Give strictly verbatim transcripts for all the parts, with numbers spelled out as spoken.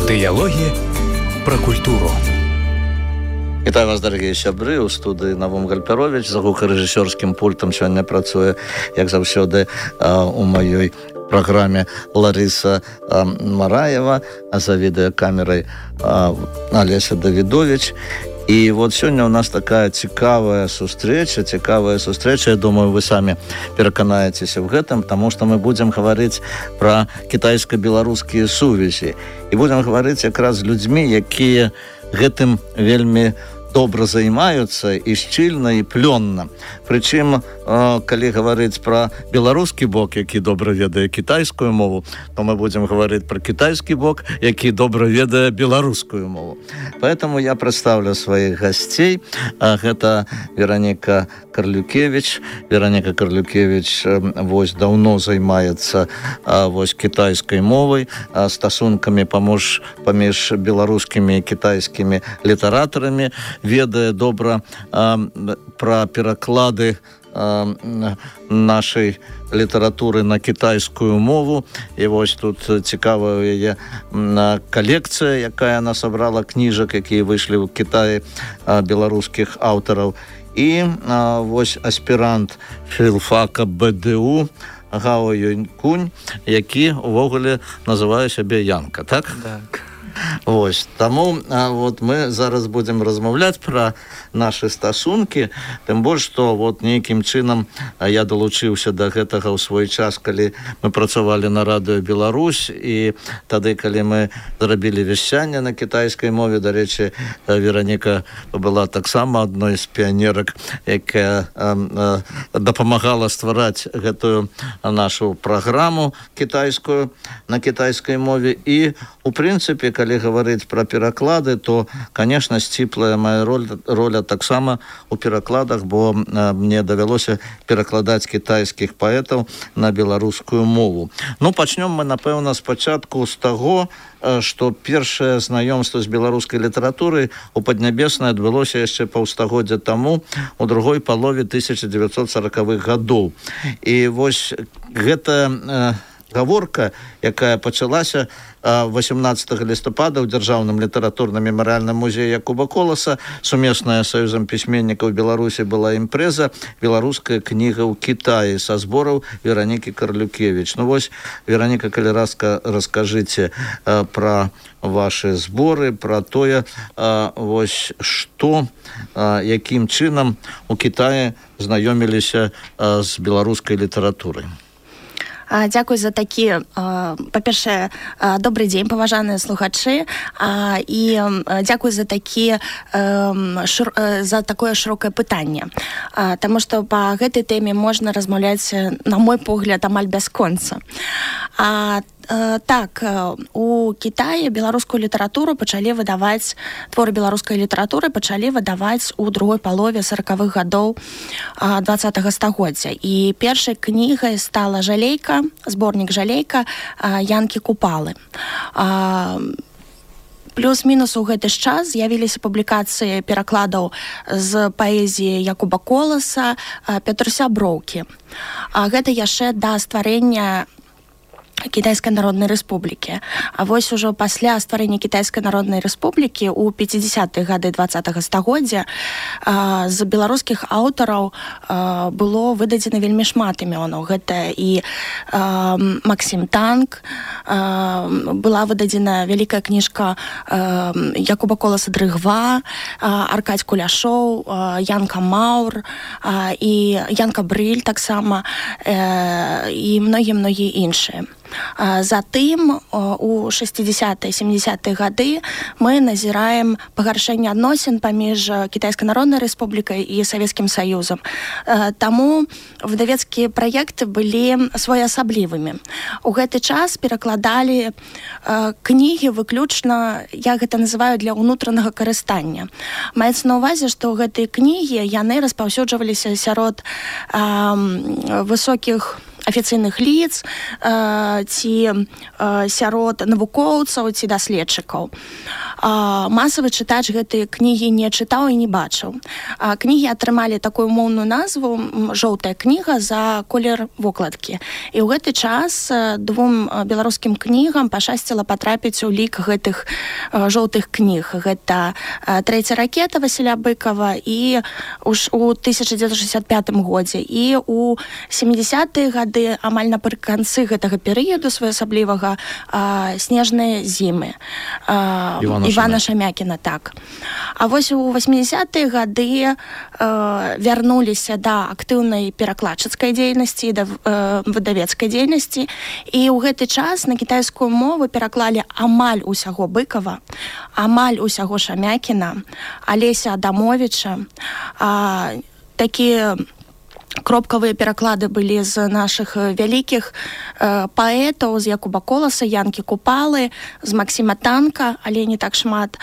Дыялогі пра культуру. Вітаю вас, дарагія сябры, у студыі Навум Гальперович. За гукарэжысёрскім пультам сёння працуе, як заўсёды, у маёй праграме Ларыса Мараева, а за відэакамерай Алеся Давідович. І вот сёння у нас такая цікавая сустрэча, цікавая сустрэча. Я думаю, вы самі пераканаецеся в гэтым, таму што мы будзем гаварыць пра кітайска-беларускія сувязі. І будзем гаварыць якраз з людзьмі, якія гэтым вельмі добра займаюцца і шчыльна, і плённа. Прычым, калі гаварыць пра беларускі бок, які добра ведае кітайскую мову, то мы будзем гаварыць пра кітайскі бок, які добра ведае беларускую мову. Поэтому я прадстаўлю сваіх гасцей. Гэта Вераніка Карлюкевіч. Вераніка Карлюкевіч вось даўно займаецца вось кітайскай мовай, стасункамі паміж паміж беларускімі і кітайскімі літаратарамі, ведае добра пра пераклады нашай літаратуры на кітайскую мову. І вось тут цікавая яе калекцыя, якая она сабрала кніжак, якія выйшлі ў Кітаі беларускіх аўтараў. І вось аспірант філфака БДУ Гао Юнькунь, які увогуле называе сябе Янка, так? Так. Вось, таму вот мы зараз будзем размаўляць пра нашы стасункі, тым больш, што вот нейкім чынам я далучыўся да гэтага ў свой час, калі мы працавалі на радыё Беларусь, і тады, калі мы зрабілі вяшчанне на кітайскай мове, дарэчы, Вераніка была таксама адной з піянерак, якая дапамагала ствараць гэтую нашу праграму кітайскую на кітайскай мове. І, у прынцыпе, калі гаварыць пра пераклады, то, конечно, сціплая моя роля, роля таксама у перакладах, бо мне давялося перакладаць кітайскіх паэтаў на беларускую мову. Ну, пачнём мы, напэўна, спачатку з таго, што першае знаёмства з беларускай літаратурай у Паднябеснай адбылося яшчэ паўстагоддзя таму, у другой палове тысяча дзевяцьсот саракавых гадоў. І вось гэта гаворка, якая пачалася восемнадцатага лістапада ў дзяржаўным літаратурным мемарыяльным музеі Якуба Коласа. Сумесная з Саюзам пісьменнікаў Беларусі была імпрэза «Беларуская кніга ў Кітаі» са збораў Веранікі Карлюкевіч. Ну вось, Вераніка, калі ласка, раскажыце пра вашы зборы, пра тое, вось што, якім чынам у Кітаі знаёміліся з беларускай літаратурай. Дзякуй за такі, па-першае, добры дзень, паважаныя слухачы, і дзякуй за такі за такое шырокае пытанне, таму што па гэтай тэме можна размаўляць, на мой погляд, амаль бясконца. Так, у Кітаі беларускую літаратуру пачалі выдаваць, творы беларускай літаратуры пачалі выдаваць у другой палове саракавых гадоў дваццатага стагоддзя. І першай кнігай стала «Жалейка», зборнік «Жалейка» Янкі Купалы. Плюс-мінус у гэты ж час з'явіліся публікацыі перакладаў з паэзіі Якуба Коласа, Пятруся Броўкі. Гэта яшчэ да стварэння Кітайскай народнай рэспублікі. А вось ужо пасля стварэння Кітайскай народнай рэспублікі ў пяцідзясятыя гады дваццатага стагоддзя з беларускіх аўтараў было выдадзена вельмі шмат імёнаў. Гэта і Максім Танк, была выдадзена вялікая кніжка Якуба Коласа «Дрыгва», Аркадзь Куляшоў, Янка Маур і Янка Брыль таксама, і многія-многія іншыя. Затым у шэсцідзясятыя сямдзясятыя гады мы назіраем пагаршэнне адносін паміж Кітайскай народнай рэспублікай і Савецкім Саюзам. Таму выдавецкія праекты былі своеасаблівымі. У гэты час перакладалі кнігі выключна, я гэта называю, для ўнутранага карыстання. Маецца на ўвазе, што гэтыя кнігі яны распаўсюджваліся сярод высокіх афіцыйных лиц, ці сярод навукоўцаў, ці даследчыкаў. масавы чытач гэтыя кнігі не чытаў і не бачыў. Кнігі атрымалі такую моўную назву «Жоўтая кніга» за колер вокладкі. І ў гэты час двум беларускім кнігам пашчасціла патрапіць у лік гэтых жоўтых кніг. Гэта «Трэця ракета» Васіля Быкова і у тысяча дзевятьсот шестьдесят пятым годзе. І у сямідзясятыя гады, амаль напрыканцы гэтага перыяду своеасаблівага, «Снежныя зімы» Івана, Івана Шамякіна. Так. А вось у восьмідзясятыя гады вярнуліся да актыўнай перакладчыцкай дзейнасці, да выдавецкай дзейнасці. І ў гэты час на кітайскую мову пераклалі амаль усяго Быкова, амаль усяго Шамякіна, Алеся Адамовіча. Такія кропкавыя пераклады былі з нашых вялікіх э, паэтаў, з Якуба Коласа, Янкі Купалы, з Максіма Танка, але не так шмат.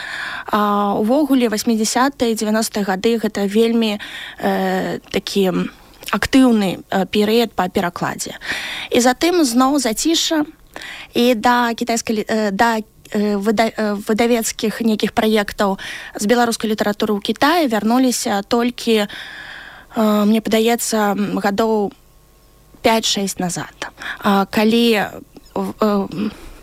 А, увогуле, восьмідзясятыя і дзевяностыя гады гэта вельмі э, такі актыўны э, перыяд па перакладзе. І затым зноў зацішша, і да кітайскай э, да Выда... выдавецкіх нейкіх праектаў з беларускай літаратуры ў Кітаі вярнуліся толькі, мне падаецца, гадоў пяць-шэсць назад. Калі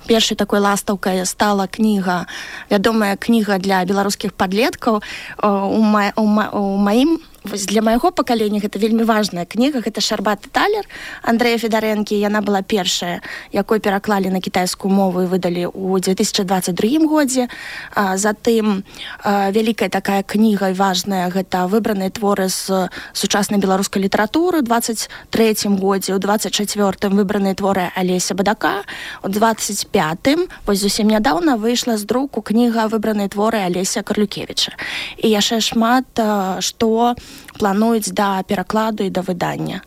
першай такой ластаўкай стала кніга, вядомая кніга для беларускіх падлеткаў, у, ма... у, ма... у маім для майго пакалення гэта вельмі важная кніга, гэта «Шарбаты талер» Андрэя Федарэнкі. Яна была першая, якой пераклалі на кітайскую мову і выдалі ў две тысячы дваццаць другім годзе. Затым вялікая такая кніга і важная, гэта выбраныя творы з сучаснай беларускай літаратуры ў дваццаць трэцім годзе, у дваццаць чацвёртым выбраныя творы Алеся Бадака, у дваццаць пятым, вось зусім нядаўна, выйшла з друку кніга «Выбраныя творы Алеся Карлюкевіча». І яшчэ шмат што плануюць да перакладу і да выдання.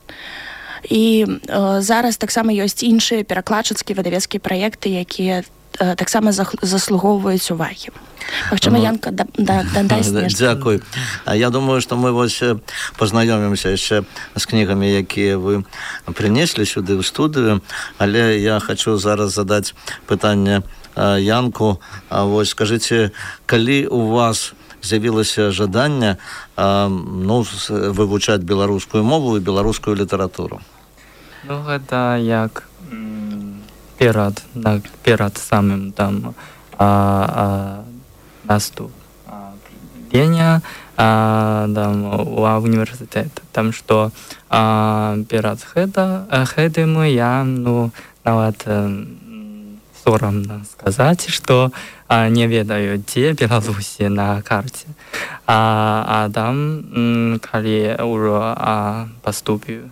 І э, зараз таксама ёсць іншыя перакладчыцкія выдавецкія праекты, якія э, таксама заслугоўваюць увагі. Магчыма, Янка, да, да, дадасць нешта. Дзякуй. Я думаю, што мы вось пазнаёмімся яшчэ з кнігамі, якія вы прынеслі сюды ў студыю, але я хочу зараз задаць пытанне Янку. Вось скажыце, калі у вас з'явілася жаданне а, ну, вывучаць беларускую мову і беларускую літаратуру? Ну, гэта як перад, перад самым там а, а, наступлення а, там, у універсітэт. Там што а, перад гэта, гэтым я ну, нават сорамна сказаць, што а, не ведаю, дзе Беларусі на карце. А, а там, калі ўжо а, паступіў,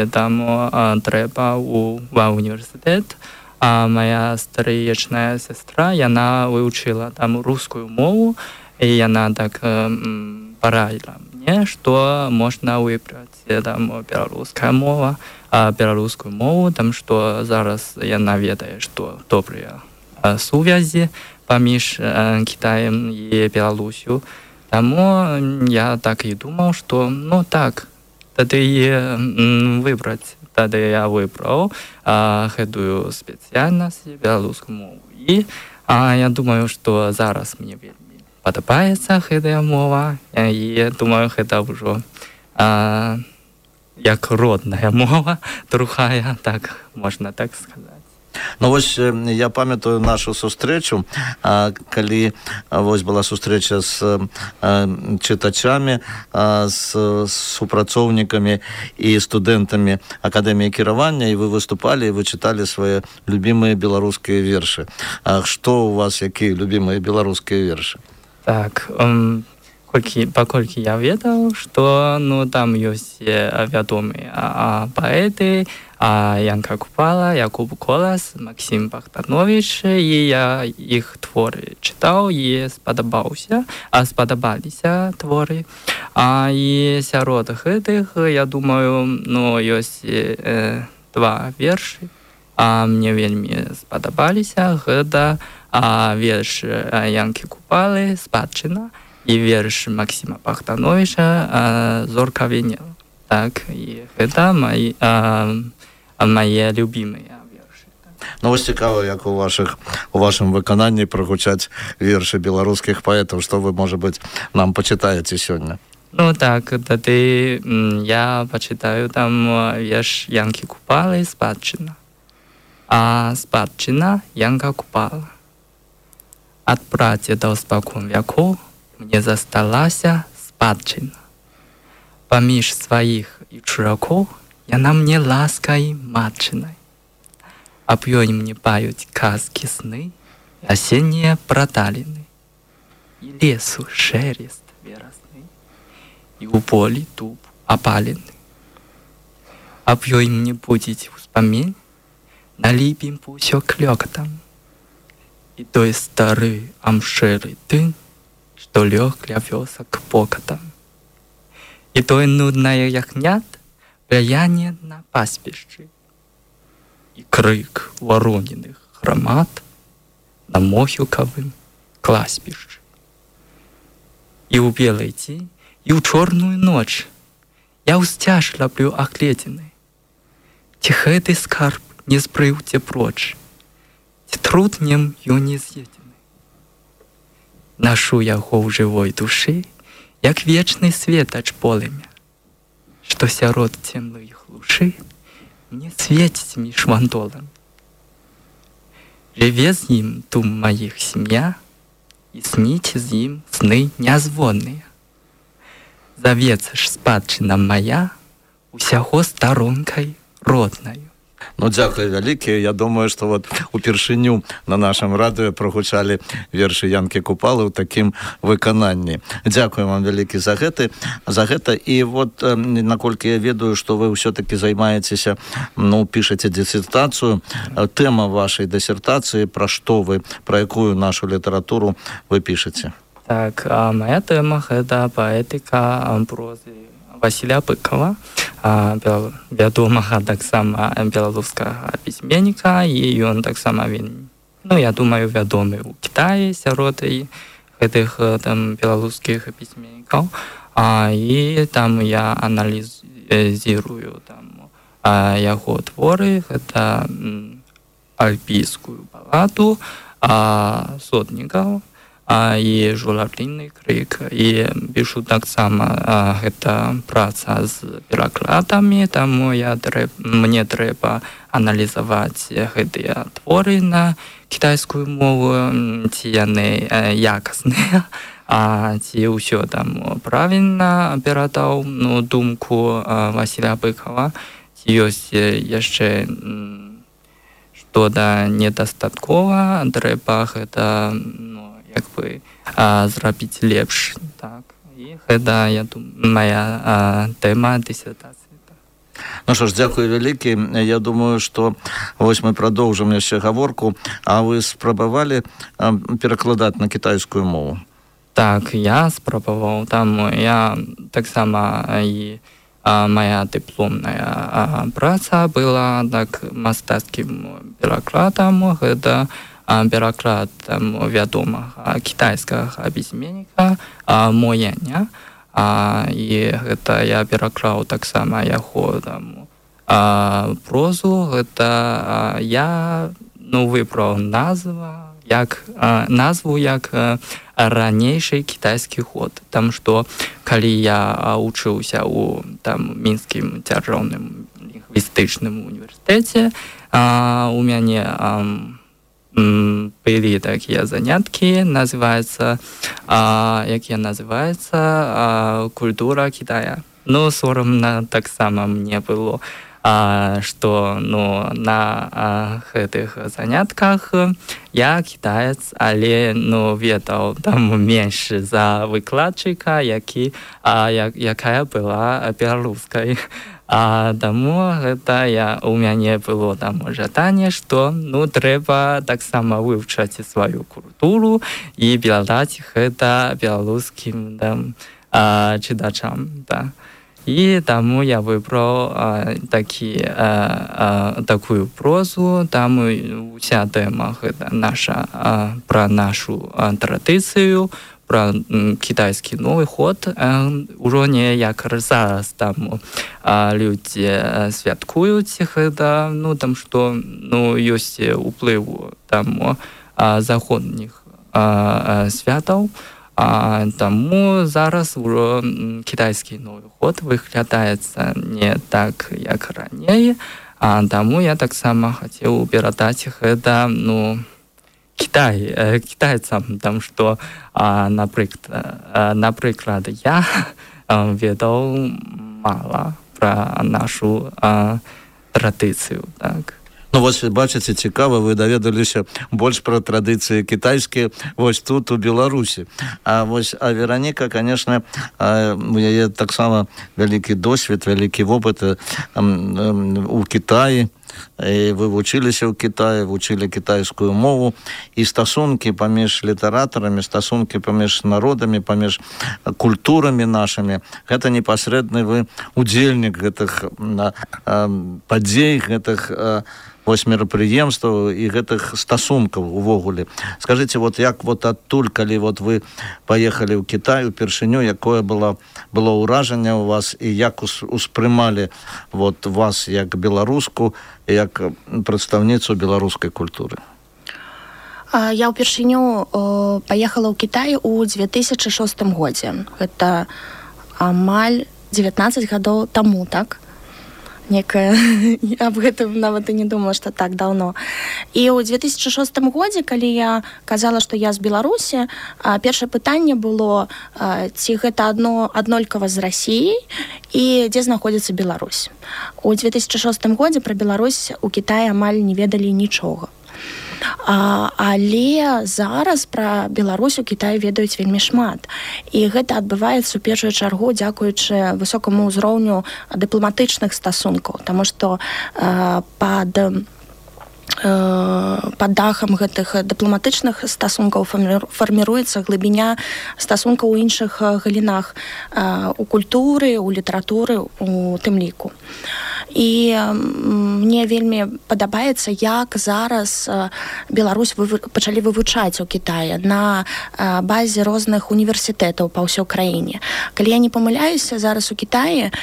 там а, трэба ў універсітэт, а моя старыечная сестра, яна вывучыла там рускую мову, і яна так м, параіла мне, што можна выбраць там беларуская мова, а беларускую мову, там што зараз яна ведае, што добрыя а, сувязі паміж а, Кітаем і Беларусю. Таму я так і думаў, што ну так, тады м, выбраць. Тады я выбраў а, гэтую спецыяльнасць беларускую мову. І а, я думаю, што зараз мне вельмі падабаецца гэтая мова, і думаю, гэта ўжо а, як родная мова, другая, так можна так сказаць. Ну вось я памятаю нашу сустрэчу, калі вось была сустрэча з чытачамі, з супрацоўнікамі і студэнтамі акадэміі кіравання, і вы выступалі, і вы чыталі свае любімыя беларускія вершы. А што у вас, якія любімыя беларускія вершы? Так, um... Колькі, паколькі я ведаў, што ну, там ёсць вядомыя а, паэты, а, Янка Купала, Якуб Колас, Максім Бахтанович, і я іх творы чытаў і спадабаўся, а спадабаліся творы. А, і сярод гэтых, я думаю, ну, ёсць э, два вершы, а мне вельмі спадабаліся. Гэта а, верш Янкі Купалы «Спадчына», і верш Максіма Бахтановича «Зорка Венера». Так, і гэта мои, а, мае любімыя вершы. Ну, вось цікава, як у вашых у вашым выкананні прагучаць вершы беларускіх паэтаў, што вы, можа быць, нам пачытаеце сёння? Ну так, тады я пачытаю там верш Янкі Купалы «Спадчына». А спадчына Янка Купала. Ад прадзедаў спакон вякоў мне засталася спадчына. Паміж сваіх і чуракоў яна мне ласкай матчынай. Аб ёй мне паюць казкі сны, асеннія праталіны, і лесу шелест верасны, і ў полі дуб апалены. Аб ёй мне будзець успамін, на ліпімпу ўсё клёкатам, і той стары амшэры тын, што лёг ля вёсак покатам. І той нуднае ягнят пляяне на паспішчы, і крык вароненых грамад на могілкавым класпішчы. І ў белай дзень, і ў чорную ноч я ўсцяж лаплю агледзены. Ці гэты скарб не збрыўце проч, ці трутнем ён не з'едзены. Нашу яго ў жывой душы, як вечны светач полымя, што сярод цемнай глушы мне свеціць між вандолам. Жыве з ім тум маіх сям'я, і сніце з ім сны нязвонныя. Завецца ж спадчына мая усяго старонкай роднаю. Ну, дзякуй вялікі. Я думаю, што вот упершыню на нашым радыё прагучалі вершы Янкі Купалы ў такім выкананні. Дзякуй вам вялікі за гэты, за гэта. І вот, наколькі я ведаю, што вы ўсё-такі займаецеся, ну, пішаце дысертацыю. Тэма вашай дысертацыі, пра што вы, пра якую нашу літаратуру вы пішаце? Так, а моя тэма — гэта паэтыка прозы Васіля Быкова, вядомага таксама беларускага пісьменніка, і ён таксама вельмі, ну, я думаю, вядомы ў Кітаі сярод гэтых там беларускіх пісьменнікаў. А, і там я аналізірую там яго творы. Гэта альпійскую баладу, сотнікаў, і журавліны крык. І пішу таксама гэта праца з перакладамі, таму я трэб, мне трэба аналізаваць гэтыя творы на кітайскую мову, ці яны якасныя, а ці ўсё там правільна перадаў, ну, думку Васіля Быкова, ці ёсць яшчэ што-то недастаткова, трэба гэта, ну, як бы а, зрабіць лепш. Так. І гэта, я думаю, моя а, тэма дысертацыі. Так. Ну што ж, дзякуй вялікі. Я думаю, што вось мы прадоўжым яшчэ гаворку. А вы спрабавалі а, перакладаць на кітайскую мову? Так, я спрабаваў. Там я таксама і а, моя дыпломная а, праца была так мастацкім перакладам. Гэта пераклад вядомага кітайскага пісьменніка Мо Яня. І гэта я пераклаў таксама яго там прозу. Гэта я, ну, выбраў назва, як, назву як ранейшы кітайскі год. Там што калі я вучыўся ў там мінскім дзяржаўным лінгвістычным універсітэце, у мяне былі такія заняткі, называецца, а, якія называецца а, культура Китая. Ну, сорамна таксама мне было, а, што, ну, на а, гэтых занятках я кітаец, але, ну, ведаў там менш за выкладчыка, які, а, як, якая была беларускай. А таму гэта я, у мяне было там жаданне, што, ну, трэба таксама вывучаць сваю культуру і перадаць гэта беларускім там а, чытачам. Да. І таму я выбраў а, такі, а, а, такую прозу. Там уся тэма гэта наша, а, пра нашу а, традыцыю, про китайский Новый год, уже не як зараз там люди святкують это, ну там что, ну есть уплыв там заходних святов, а тому зараз уже китайский Новый год виглядається не так, як раніше, а тому я так само хотів передати это, ну, Китай, китайцам, там что, наприклад, наприклад, я відав мало про нашу традицію, так. Ну, вось, бачыце, цікава, вы даведаліся больш пра традыцыі кітайскія вось тут, у Беларусі. А вось, а Вераніка, конечно, у яе таксама вялікі досвед, вялікі вопыт у Кітаі. І вы вучыліся ў Кітаі, вучылі кітайскую мову, і стасункі паміж літаратарамі, стасункі паміж народамі, паміж культурамі нашымі, гэта непасрэдны вы удзельнік гэтых падзей, гэтых вось мерапрыемстваў і гэтых стасункаў увогуле. Скажыце, вот як вот адтуль, калі вот вы паехалі ў Кітай упершыню, якое было, было ўражанне ў вас і як успрымалі вот вас як беларуску, як прадстаўніцу беларускай культуры? Я ўпершыню паехала ў Кітай у две тысячы шостым годзе. Гэта амаль дзевятнаццаць гадоў таму, так? Некая, я аб гэтым нават і не думала, што так даўно. І ў две тысячы шостым годзе, калі я казала, што я з Беларусі, першае пытанне было, ці гэта адно аднолькава з Расіяй і дзе знаходзіцца Беларусь. У две тысячы шостым годзе пра Беларусь у Кітаі амаль не ведалі нічога. А, але зараз пра Беларусь у Кітаі ведаюць вельмі шмат. І гэта адбываецца ў першую чаргу дзякуючы высокаму ўзроўню дыпламатычных стасункаў, таму што э, пад пад дахам гэтых дыпламатычных стасункаў фарміруецца глыбіня стасункаў у іншых галінах, у культуры, у літаратуры, у тым ліку. І мне вельмі падабаецца, як зараз Беларусь пачалі вывучаць у Кітаі на базе розных універсітэтаў па ўсёй краіне. Калі я не памыляюся, зараз у Кітаі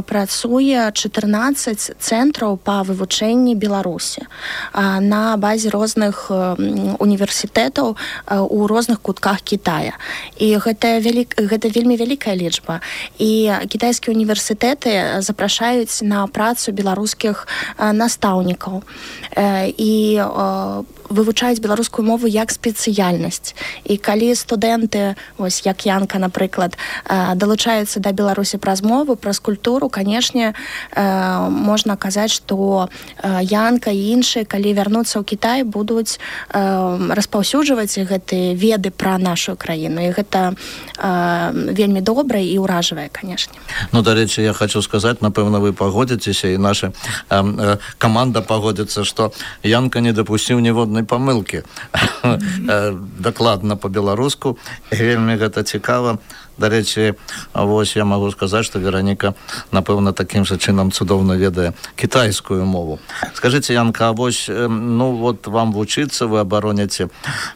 працуе чатырнаццаць цэнтраў па вывучэнні Беларусі на базе розных універсітэтаў у розных кутках Кітая. І гэта, вялік, гэта вельмі вялікая лічба. І кітайскія універсітэты запрашаюць на працу беларускіх настаўнікаў. І вывучаюць беларускую мову як спецыяльнасць. І калі студэнты, ось як Янка, напрыклад, далучаюцца да Беларусі праз мову, праз культуру, канешне, можна казаць, што Янка і іншыя, калі вярнуцца ў Кітай, будуць распаўсюджваць гэтыя веды пра нашу краіну. І гэта вельмі добра і ўражвае, канешне. Ну, дарэчы, я хочу сказаць, напэўна, вы пагодзіцеся, і наша каманда пагодзіцца, што Янка не дапусціў ніводнай памылкі. Дакладна па-беларуску. Вельмі гэта цікава. Дарэчы, вось я магу сказаць, што Вераніка, напэўна, такім жа чынам цудоўна ведае кітайскую мову. Скажыце, Янка, а вось, ну, вот вам вучыцца, вы абароняце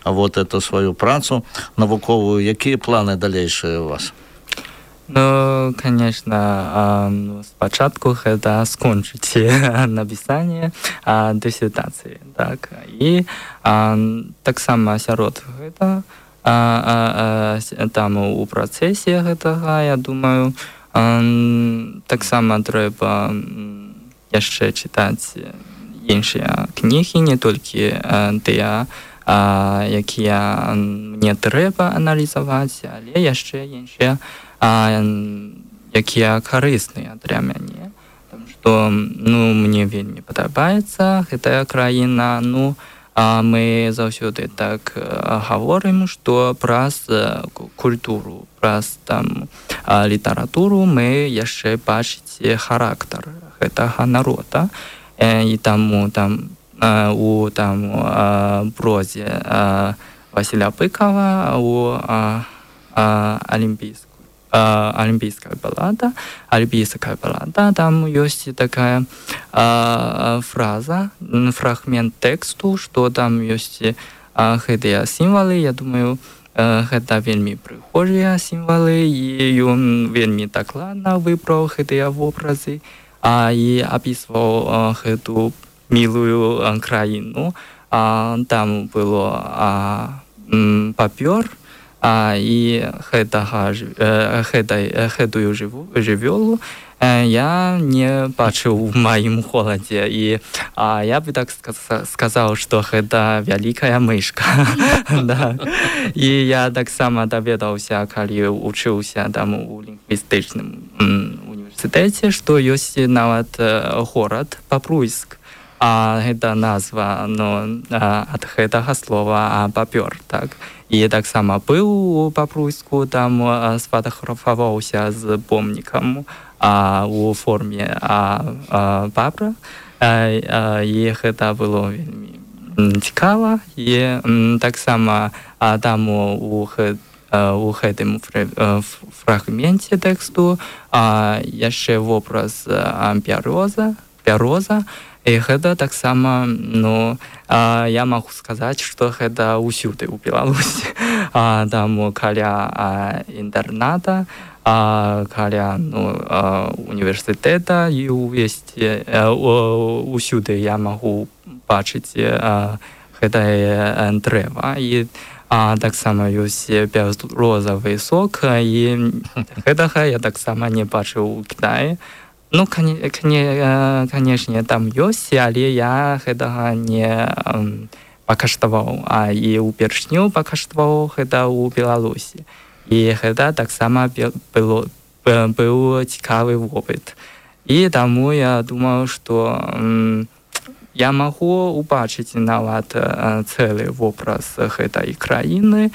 вот эту сваю працу навуковую. Якія планы далейшыя у вас? Ну, конечно, ну, спачатку гэта скончыць напісанне дысертацыі, так. І таксама сярод гэта А, а, там у працэсе гэтага, я думаю, таксама трэба яшчэ чытаць іншыя кнігі, не толькі тыя, якія мне трэба аналізаваць, але яшчэ іншыя, якія карысныя для мяне. Таму што, ну, мне вельмі падабаецца гэтая краіна, ну, А мы заўсёды так гаворым, што праз культуру, праз там літаратуру мы яшчэ бачыць характар гэтага народа. І таму там у там прозе Васіля Пыкава у алімпійскую олимпийская баллада, олимпийская баллада, там есть такая а, фраза, фрагмент тексту, что там есть а, гэтыя символы, я думаю, гэта вельмі прыгожыя сімвалы, і ён вельмі дакладна выбраў гэтыя вобразы, а і апісваў гэту мілую краіну. Там было папёр, і гэтую жывёлу я не бачыў у маім голадзе, і я бы так сказаў, што гэта вялікая мышка. І я таксама даведаўся, калі вучыўся там у лінгвістычным універсітэце, што ёсць нават горад Папруйск. Гэта назва ад гэтага слова папёр, так. І таксама быў у Папруйску, там сфотаграфаваўся з помнікам у форме папра, і гэта было вельмі цікава. І таксама там у гэтым фрагменце тэксту яшчэ вобраз пяроза, пяроза. І гэта таксама, ну, я магу сказаць, што гэта ўсюды ў Беларусі. Там каля інтэрната, каля універсітэта, і ўвесці ўсюды я магу бачыць гэтае дрэва. І таксама ёсць бярозавы сок, і гэтага я таксама не бачыў у Кітаі. Ну, канешне, там ёсць, але я гэтага не пакаштаваў, а і ўпершню пакаштаваў гэта ў Беларусі. І гэта таксама быў цікавы вопыт. І таму я думаю, што я магу убачыць нават цэлы вобраз гэтай краіны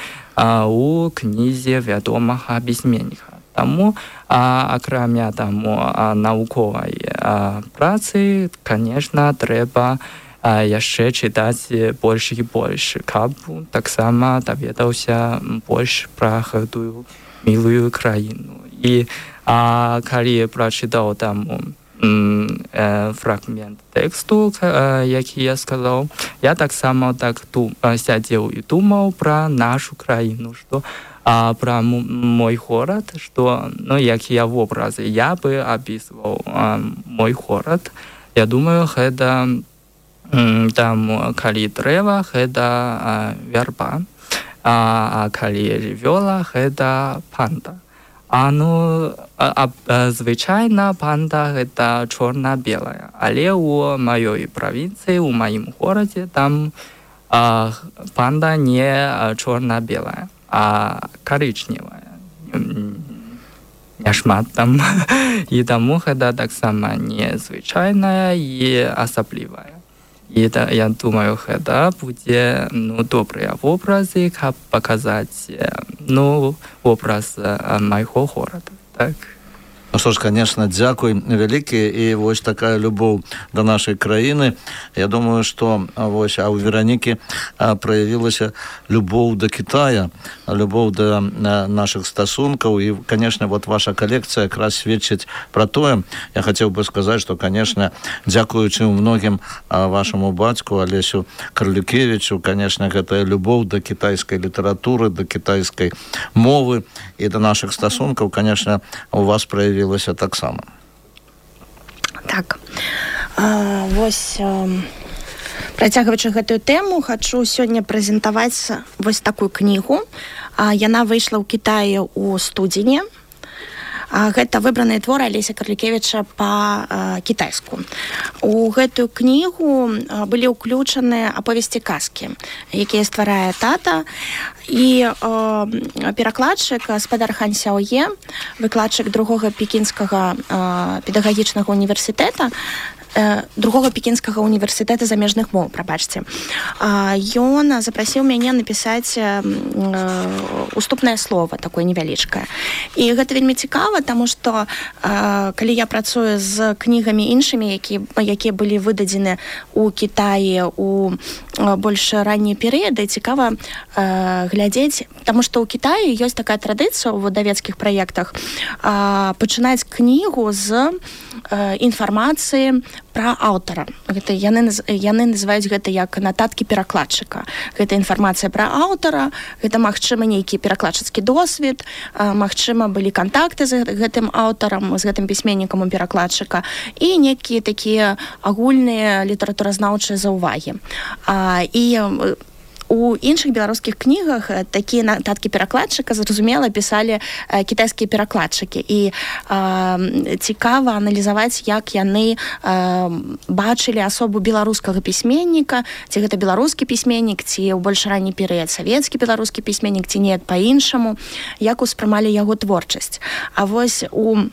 у кнізе вядомага пісьменніка. Таму, акрамя таму навуковай працы, конечно, трэба яшчэ чытаць больш і больш, каб таксама даведаўся больш пра гэтую мілую краіну. І калі прачытаў там фрагмент тэксту, які я сказаў, я таксама так сядзеў і думаў пра нашу краіну, што пра мой горад, што, ну, якія вобразы я бы апісваў мой горад. Я думаю, гэта там, калі дрэва, гэта вярба, а калі жывёла, гэта панда. А, ну, звычайна панда гэта чорна-белая, але ў маёй правінцыі, у маім горадзе, там панда не чорна-белая, а карычневая. Няшмат там. І таму гэта таксама незвычайная і асаблівая. І я думаю, гэта будзе, ну, добрыя вобразы, каб паказаць, ну, вобраз майго горада, так? Ну што ж, конечно, дзякуй вялікі, і вось такая любоў да нашай краіны. Я думаю, што вось, а ў Веранікі праявілася любоў да Кітая, любоў да нашых стасункаў, і, конечно, вот ваша калекцыя якраз сведчыць пра тое. Я хацеў бы сказаць, што, конечно, дзякуючы многім вашаму бацьку Алесю Карлюкевічу, конечно, гэтая любоў да кітайскай літаратуры, да кітайскай мовы і да нашых стасункаў, конечно, у вас праявілася таксама. Так. А, вось, а, працягваючы гэтую тэму, хачу сёння прэзентаваць вось такую кнігу. А, яна выйшла ў Кітаі ў студзені. А, гэта выбраныя творы Алеся Карлюкевіча па-кітайску. У гэтую кнігу былі ўключаны аповесці казкі, якія стварае тата. І э, перакладчык спадар Хан Сяое, выкладчык другога пекінскага э, педагагічнага універсітэта, э, другога пекінскага універсітэта замежных моў, прабачце. Э, ён запрасіў мяне напісаць э, уступнае слова, такое невялічкае. І гэта вельмі цікава, таму што э, калі я працую з кнігамі іншымі, які, якія былі выдадзены ў Кітаі у э, больш раннія перыяды, цікава э, глядзець, таму што ў Кітаі ёсць такая традыцыя ў выдавецкіх праектах а, пачынаць кнігу з а, інфармацыі пра аўтара. Гэта яны, яны называюць гэта як нататкі перакладчыка. Гэта інфармацыя пра аўтара, гэта, магчыма, нейкі перакладчыцкі досвед, магчыма, былі кантакты з гэтым аўтарам, з гэтым пісьменнікам у перакладчыка, і некія такія агульныя літаратуразнаўчыя заўвагі. І у іншых беларускіх кнігах такія нататкі перакладчыка, зразумела, пісалі кітайскія перакладчыкі. І э, цікава аналізаваць, як яны э, бачылі асобу беларускага пісьменніка, ці гэта беларускі пісьменнік, ці ў больш ранні перыяд савецкі беларускі пісьменнік, ці не па-іншаму, як успрымалі яго творчасць. А вось у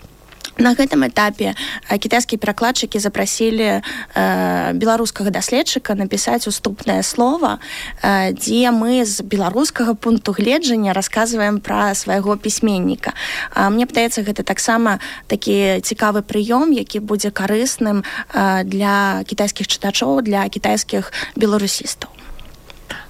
на гэтым этапе кітайскія перакладчыкі запрасілі э, беларускага даследчыка напісаць уступнае слова, э, дзе мы з беларускага пункту гледжання расказваем пра свайго пісьменніка. А мне падаецца, гэта таксама такі цікавы прыём, які будзе карысным э, для кітайскіх чытачоў, для кітайскіх беларусістаў.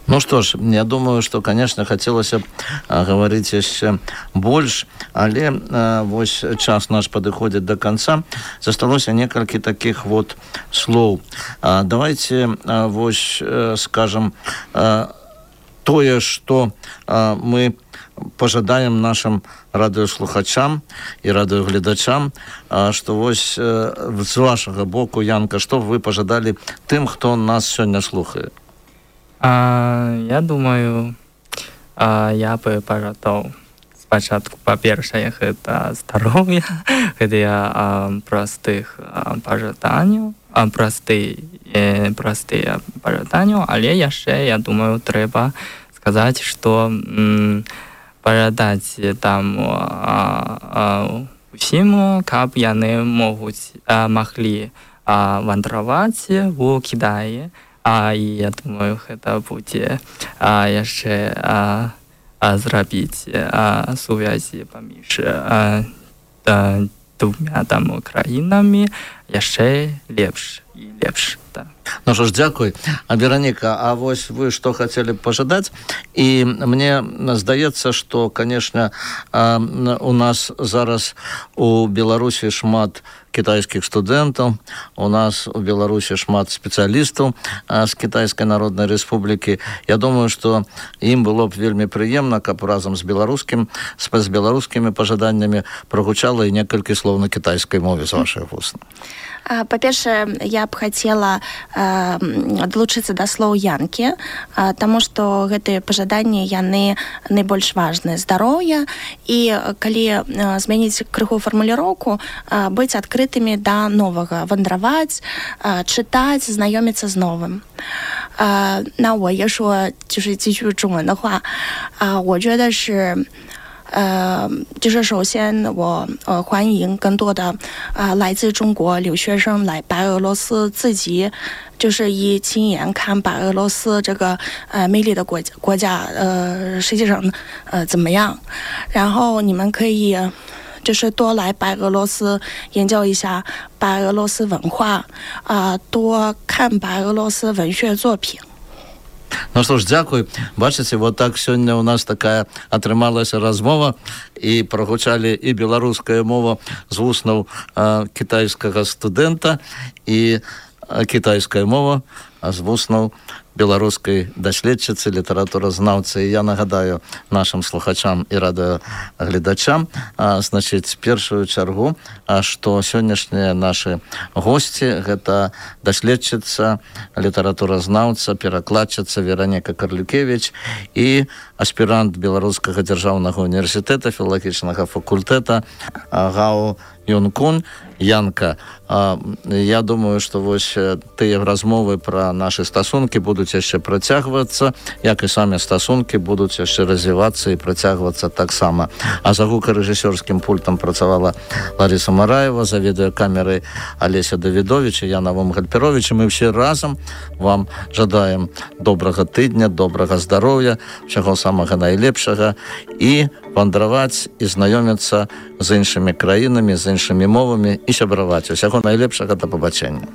Ну что ж, я думаю, что, конечно, хотелось бы а, говорить еще больше, але а, вось час наш подходит до конца. Засталось несколько таких вот слов. А, давайте а, вось а, скажем а, тое, что а, мы пожадаем нашим радыёслухачам и радыёгледачам, а, что вось а, з вашего боку, Янка, что вы пожадали тем, кто нас сегодня слухает? А, я думаю, а, я бы пожадал спочатку, па-першае, гэта здароўя, гэта я а, простых а, пожаданняў, а, просты, э, простыя пожаданняў, але яшчэ, я думаю, трэба сказаць, што м, пожадаць там а, а, усім, каб яны могуць, а, маглі а, вандраваць у Кітаі. А, і я думаю, гэта будзе а, яшчэ а, а, зрабіць а, сувязі паміж а, а, двумя там краінамі яшчэ лепш і лепш. Да. Ну что ж, дзякуй. А, Вероника, а вось вы что хотели пожадать? И мне здаецца, что, конечно, у нас зараз у Беларусі шмат китайских студентов, у нас у Беларуси шмат специалистов а, с Китайской Народной Республики. Я думаю, что им было бы вельми приемно, каб разом с белорусским, с, с белорусскими пожаданиями прогучало и несколько слов на китайской мове с ваших вуст. Па-першае, я б хацела э, далучыцца да слоў Янкі, э, таму што гэтыя пажаданні, яны найбольш важныя. Здароўя, і калі э, змяніць крыху фармуліроўку, э, быць адкрытымі да новага, вандраваць, э, чытаць, знаёміцца з новым. Э, 那我也说就是继续中文的话，呃，我觉得是 呃，就是首先我呃欢迎更多的啊、呃、来自中国留学生来白俄罗斯，自己就是以亲眼看白俄罗斯这个呃美丽的国国家呃实际上呃怎么样，然后你们可以就是多来白俄罗斯研究一下白俄罗斯文化啊、呃，多看白俄罗斯文学作品。 Ну что ж, дзякуй. Бачыце, вот так сёння у нас такая атрымалася размова, і прогучалі і беларуская мова з вуснаў а, кітайскага студэнта, і а, кітайская мова з вуснаў беларускай даследчыцы, літаратуразнаўцы. Я нагадаю нашим слухачам і радыёгледачам, а, значыць, першую чаргу, а, што сённяшнія нашы госці — гэта даследчыца, літаратуразнаўца, перакладчыца Вероника Карлюкевич і аспірант Беларускага дзяржаўнага універсітэта, філалагічнага факультэта ГАУ Юнкун. Янка, а, я думаю, што вось тыя размовы пра нашы стасункі будуць яшчэ працягвацца, як і самі стасункі будуць яшчэ развівацца і працягвацца таксама. А за гукарэжысёрскім пультам працавала Лариса Мараева, за відэакамерай Алеся Давідович і Яна Вомгальперович. Мы все разам вам жадаем добрага тыдня, добрага здароўя, чаго самага найлепшага, і вандраваць і знаёміцца з іншымі краінамі, з іншымі мовамі і сябраваць. Усяго найлепшага, да пабачэння.